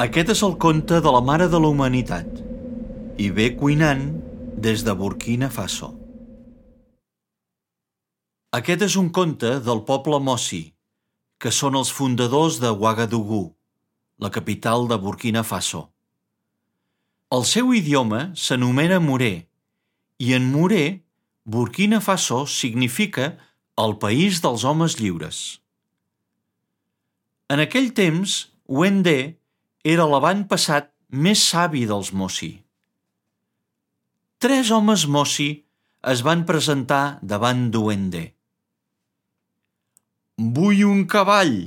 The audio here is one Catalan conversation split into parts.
Aquest és el conte de la mare de la humanitat i ve cuinant des de Burkina Faso. Aquest és un conte del poble Mossi, que són els fundadors de Ouagadougou, la capital de Burkina Faso. El seu idioma s'anomena moré i en moré, Burkina Faso significa el país dels homes lliures. En aquell temps, Wendé era l'avantpassat més savi dels Mossi. 3 homes Mossi es van presentar davant de Wendé. «Vull un cavall»,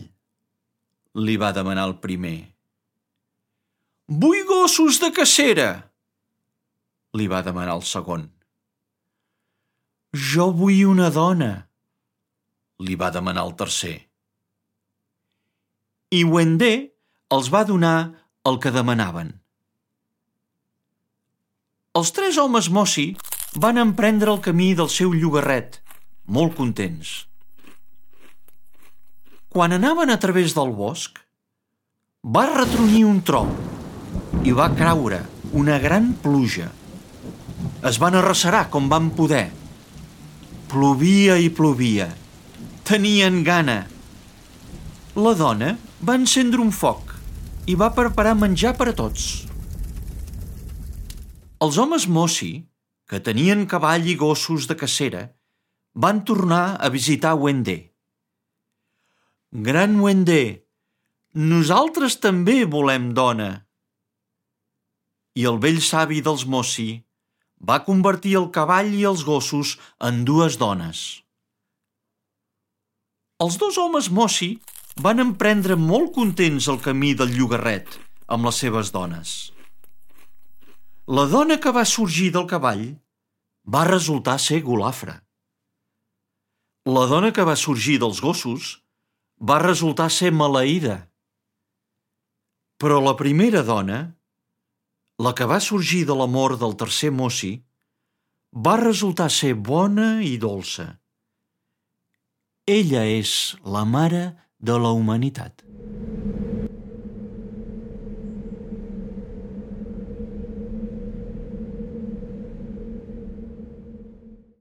li va demanar el primer. «Vull gossos de cacera», li va demanar el segon. «Jo vull una dona», li va demanar el tercer. I Wendé els va donar el que demanaven. Els 3 homes Mossi van emprendre el camí del seu llogarret, molt contents. Quan anaven a través del bosc, va retrunyir un tro i va caure una gran pluja. Es van arrecerar com van poder. Plovia i plovia. Tenien gana. La dona va encendre un foc i va preparar menjar per a tots. Els homes Mossi, que tenien cavall i gossos de cacera, van tornar a visitar Wendé. «Gran Wendé, nosaltres també volem dona». I el vell savi dels Mossi va convertir el cavall i els gossos en 2 dones. Els 2 homes Mossi van emprendre molt contents el camí del llogarret amb les seves dones. La dona que va sorgir del cavall va resultar ser golafra. La dona que va sorgir dels gossos va resultar ser maleïda. Però la primera dona, la que va sorgir de l'amor del tercer Mossi, va resultar ser bona i dolça. Ella és la mare de la humanitat.